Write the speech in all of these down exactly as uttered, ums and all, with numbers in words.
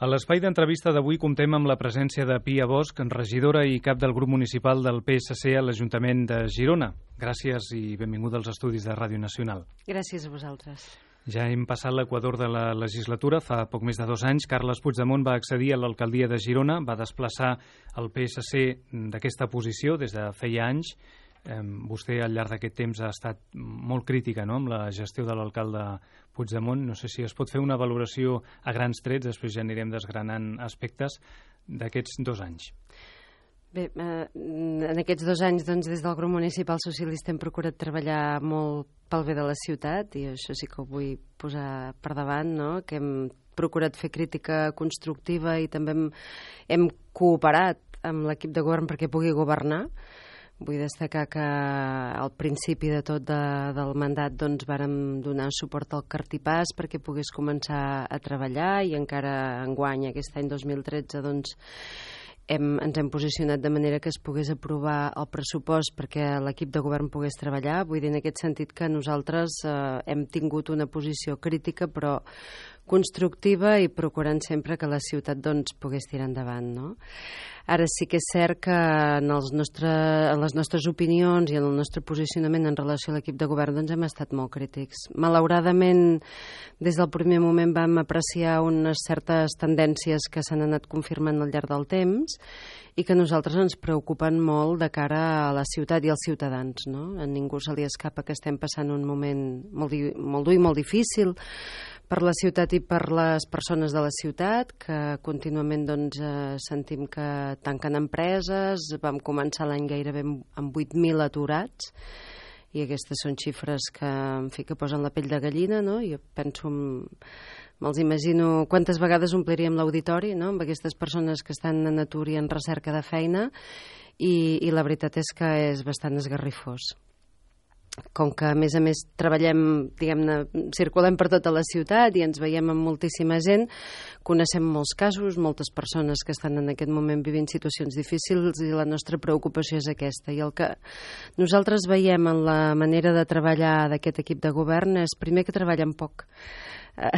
A l'espai d'entrevista d'avui comptem amb la presència de Pia Bosch, regidora i cap del grup municipal del P S C a l'Ajuntament de Girona. Gràcies i benvinguda als estudis de Ràdio Nacional. Gràcies a vosaltres. Ja hem passat l'equador de la legislatura. Fa poc més de dos anys, Carles Puigdemont va accedir a l'alcaldia de Girona, va desplaçar el P S C d'aquesta posició des de feia anys. Eh, vostè al llarg d'aquest temps ha estat molt crítica, no?, amb la gestió de l'alcalde Puigdemont. No sé si es pot fer una valoració a grans trets, després ja anirem desgranant aspectes d'aquests dos anys. Bé, eh, en aquests dos anys, doncs, des del grup municipal socialista hem procurat treballar molt pel bé de la ciutat, i això sí que ho vull posar per davant, no?, que hem procurat fer crítica constructiva i també hem, hem cooperat amb l'equip de govern perquè pugui governar. Vull destacar que al principi de tot de, del mandat doncs, vàrem donar suport al Cartipàs perquè pogués començar a treballar, i encara enguany, aquest any dos mil tretze, doncs, hem, ens hem posicionat de manera que es pogués aprovar el pressupost perquè l'equip de govern pogués treballar. Vull dir, en aquest sentit, que nosaltres eh, hem tingut una posició crítica però constructiva i procurant sempre que la ciutat doncs, pogués tirar endavant, no? Ara sí que és cert que en, els nostre, en les nostres opinions i en el nostre posicionament en relació a l'equip de govern doncs, hem estat molt crítics. Malauradament, des del primer moment vam apreciar unes certes tendències que s'han anat confirmant al llarg del temps i que a nosaltres ens preocupen molt de cara a la ciutat i als ciutadans, no? A ningú se li escapa que estem passant un moment molt, molt dur i molt difícil per la ciutat i per les persones de la ciutat, que contínuament doncs, eh, sentim que tanquen empreses. Vam començar l'any gairebé amb vuit mil aturats, i aquestes són xifres que, en fi, que posen la pell de gallina, no? Jo penso, me'ls imagino quantes vegades ompliríem l'auditori, no?, amb aquestes persones que estan en atur i en recerca de feina, i, i la veritat és que és bastant esgarrifós. Com que, a més a més, treballem, diguem-ne, circulem per tota la ciutat i ens veiem amb moltíssima gent, coneixem molts casos, moltes persones que estan en aquest moment vivint situacions difícils, i la nostra preocupació és aquesta. I el que nosaltres veiem en la manera de treballar d'aquest equip de govern és, primer, que treballen poc. Uh,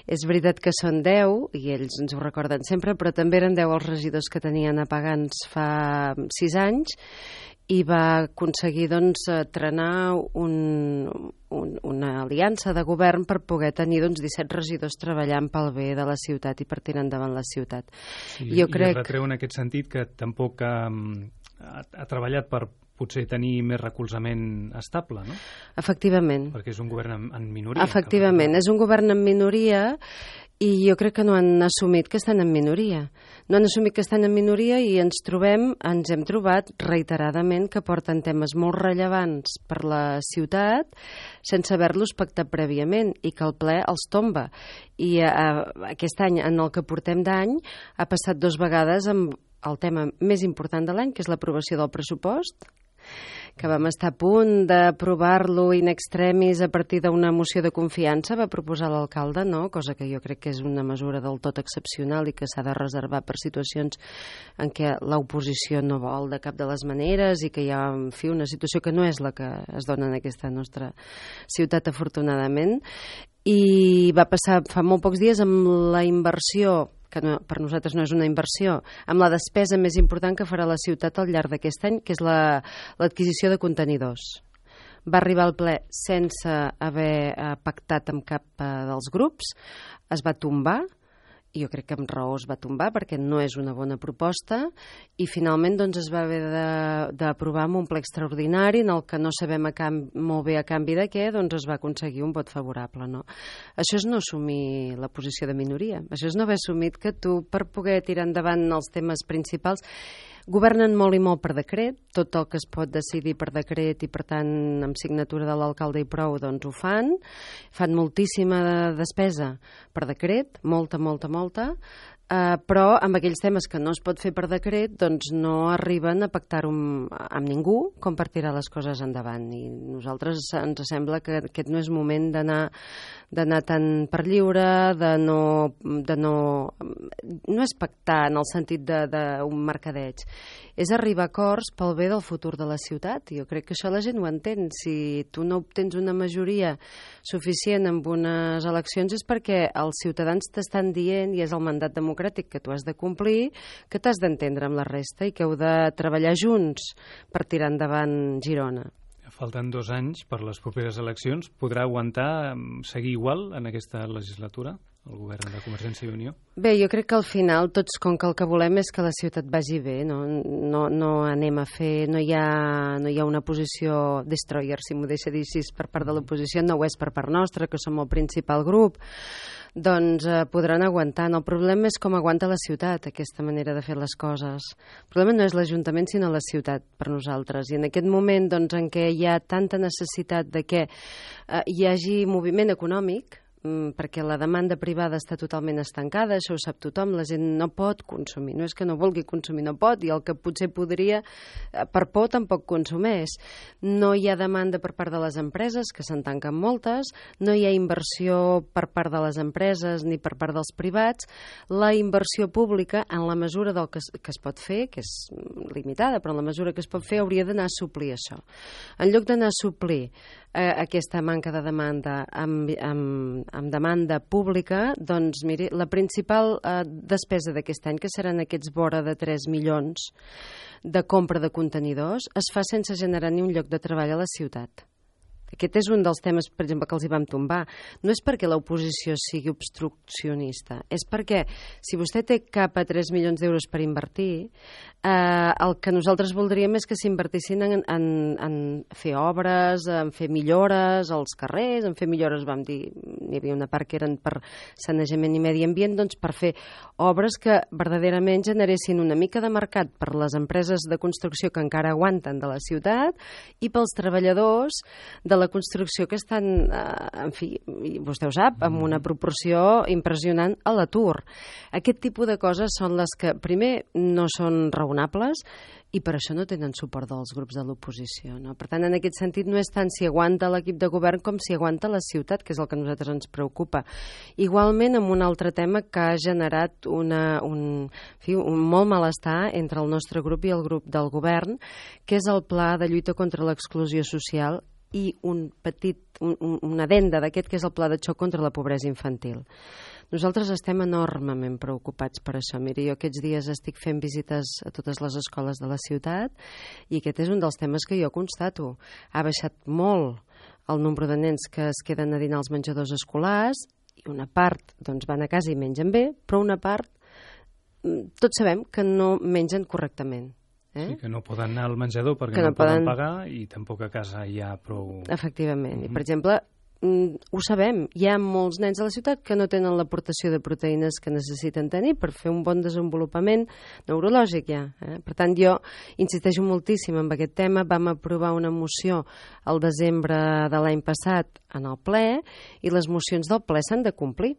és veritat que són deu, i ells ens ho recorden sempre, però també eren deu els regidors que tenien a pagans fa sis anys, i va aconseguir doncs, trenar un, un, una aliança de govern per poder tenir doncs, disset regidors treballant pel bé de la ciutat i per tirar endavant la ciutat. Sí, jo i crec... retreu en aquest sentit que tampoc ha, ha, ha treballat per potser tenir més recolzament estable, no? Efectivament. Perquè és un govern en, en minoria. Efectivament, és un govern en minoria, i jo crec que no han assumit que estan en minoria. No han assumit que estan en minoria i ens trobem, ens hem trobat reiteradament que porten temes molt rellevants per la ciutat sense haver-los pactat prèviament, i que el ple els tomba. I eh, aquest any, en el que portem d'any, ha passat dos vegades amb el tema més important de l'any, que és l'aprovació del pressupost, que vam estar a punt d'aprovar-lo in extremis a partir d'una moció de confiança, va proposar l'alcalde, no? Cosa que jo crec que és una mesura del tot excepcional i que s'ha de reservar per situacions en què l'oposició no vol de cap de les maneres i que hi ha, en fi, una situació que no és la que es dona en aquesta nostra ciutat, afortunadament. I va passar fa molt pocs dies amb la inversió, que no, per nosaltres no és una inversió, amb la despesa més important que farà la ciutat al llarg d'aquest any, que és la, l'adquisició de contenidors. Va arribar al ple sense haver eh, pactat amb cap eh, dels grups, es va tombar, i jo crec que amb raó es va tombar perquè no és una bona proposta, i finalment doncs, es va haver d'aprovar amb un ple extraordinari en el que no sabem a canvi, molt bé a canvi de què, doncs es va aconseguir un vot favorable, no? Això és no assumir la posició de minoria, això és no haver assumit que tu, per poder tirar endavant els temes principals, governen molt i molt per decret, tot el que es pot decidir per decret i, per tant, amb signatura de l'alcalde i prou, doncs ho fan. Fan moltíssima despesa per decret, molta, molta, molta, eh, però amb aquells temes que no es pot fer per decret, doncs no arriben a pactar-ho amb, amb ningú com per tirar les coses endavant. I nosaltres ens sembla que aquest no és moment d'anar d'anar tant per lliure, de no, de no... No és pactar en el sentit d'un mercadeig, és arribar a acords pel bé del futur de la ciutat. Jo crec que això la gent ho entén. Si tu no obtens una majoria suficient en unes eleccions és perquè els ciutadans t'estan dient, i és el mandat democràtic que tu has de complir, que t'has d'entendre amb la resta i que heu de treballar junts per tirar endavant Girona. Falten dos anys per les properes eleccions. Podrà aguantar, seguir igual en aquesta legislatura, el govern de Convergència i Unió? Bé, jo crec que al final tots, com que el que volem és que la ciutat vagi bé, no, no, no anem a fer, no hi ha, no hi ha una posició destroyer, si m'ho deixa dir així, per part de l'oposició, no ho és per part nostra, que som el principal grup, doncs eh, podran aguantar. El problema és com aguanta la ciutat aquesta manera de fer les coses. El problema no és l'Ajuntament, sinó la ciutat per nosaltres. I en aquest moment doncs, en què hi ha tanta necessitat de que eh, hi hagi moviment econòmic, perquè la demanda privada està totalment estancada, això ho sap tothom, la gent no pot consumir, no és que no vulgui consumir, no pot, i el que potser podria, per por tampoc consumeix. No hi ha demanda per part de les empreses, que se'n tanquen moltes, no hi ha inversió per part de les empreses ni per part dels privats. La inversió pública, en la mesura del que es, que es pot fer, que és limitada, però en la mesura que es pot fer, hauria d'anar a suplir això. En lloc d'anar a suplir eh, aquesta manca de demanda amb, amb amb demanda pública, doncs, miri, la principal eh, despesa d'aquest any, que seran aquests vora de tres milions de compra de contenidors, es fa sense generar ni un lloc de treball a la ciutat. Aquest és un dels temes, per exemple, que els hi vam tombar. No és perquè l'oposició sigui obstruccionista, és perquè si vostè té cap a tres milions d'euros per invertir, eh, el que nosaltres voldríem és que s'invertissin en, en, en fer obres, en fer millores als carrers, en fer millores, vam dir, n'hi havia una part que eren per sanejament i medi ambient, doncs per fer obres que verdaderament generessin una mica de mercat per les empreses de construcció que encara aguanten de la ciutat i pels treballadors de la la construcció que estan, eh, en fi, vostè ho sap, amb una proporció impressionant a l'atur. Aquest tipus de coses són les que, primer, no són raonables i per això no tenen suport dels grups de l'oposició. No? Per tant, en aquest sentit, no és tant si aguanta l'equip de govern com si aguanta la ciutat, que és el que a nosaltres ens preocupa. Igualment, amb un altre tema que ha generat una, un, en fi, un molt malestar entre el nostre grup i el grup del govern, que és el pla de lluita contra l'exclusió social i un petit, un, una addenda d'aquest, que és el pla de xoc contra la pobresa infantil. Nosaltres estem enormement preocupats per això. Miri, jo aquests dies estic fent visites a totes les escoles de la ciutat i aquest és un dels temes que jo constato. Ha baixat molt el nombre de nens que es queden a dinar als menjadors escolars i una part doncs, van a casa i mengen bé, però una part tots sabem que no mengen correctament. Eh? Sí, que no poden anar al menjador perquè no, no poden pagar i tampoc a casa hi ha prou... Efectivament. Uh-huh. I, per exemple, ho sabem, hi ha molts nens a la ciutat que no tenen l'aportació de proteïnes que necessiten tenir per fer un bon desenvolupament neurològic ja. Eh? Per tant, jo insisteixo moltíssim en aquest tema. Vam aprovar una moció al desembre de l'any passat en el ple i les mocions del ple s'han de complir.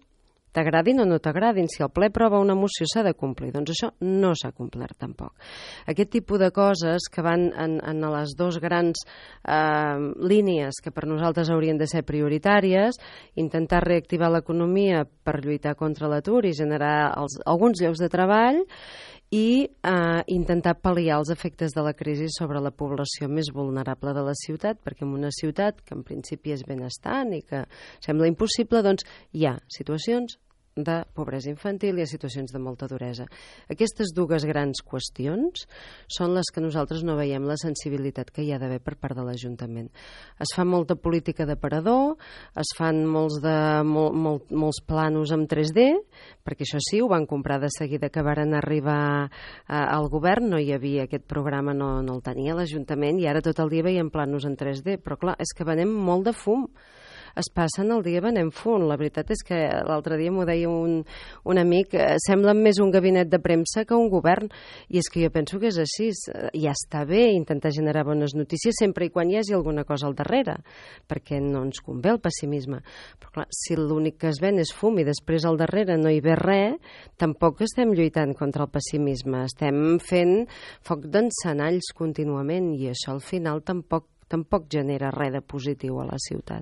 T'agradin o no t'agradin, si el ple aprova una moció s'ha de complir. Doncs això no s'ha complert tampoc. Aquest tipus de coses que van en, en les dues grans eh, línies que per nosaltres haurien de ser prioritàries, intentar reactivar l'economia per lluitar contra l'atur i generar els, alguns llocs de treball i eh, intentar pal·liar els efectes de la crisi sobre la població més vulnerable de la ciutat, perquè en una ciutat que en principi és benestant i que sembla impossible, doncs hi ha situacions de pobresa infantil i a situacions de molta duresa. Aquestes dues grans qüestions són les que nosaltres no veiem la sensibilitat que hi ha d'haver per part de l'Ajuntament. Es fa molta política d'aparador, es fan molts, de, mol, mol, molts planos amb tres D, perquè això sí, ho van comprar de seguida que varen arribar a, al govern, no hi havia aquest programa, no, no el tenia l'Ajuntament, i ara tot el dia veiem planos en tres D, però clar, és que venem molt de fum. Es passen el dia venent fum. La veritat és que l'altre dia m'ho deia un, un amic, eh, sembla més un gabinet de premsa que un govern, i és que jo penso que és així. Ja està bé intentar generar bones notícies sempre i quan hi hagi alguna cosa al darrere, perquè no ens convé el pessimisme. Però clar, si l'únic que es ven és fum i després al darrere no hi ve res, tampoc estem lluitant contra el pessimisme. Estem fent foc d'encenalls contínuament i això al final tampoc tampoc genera res de positiu a la ciutat.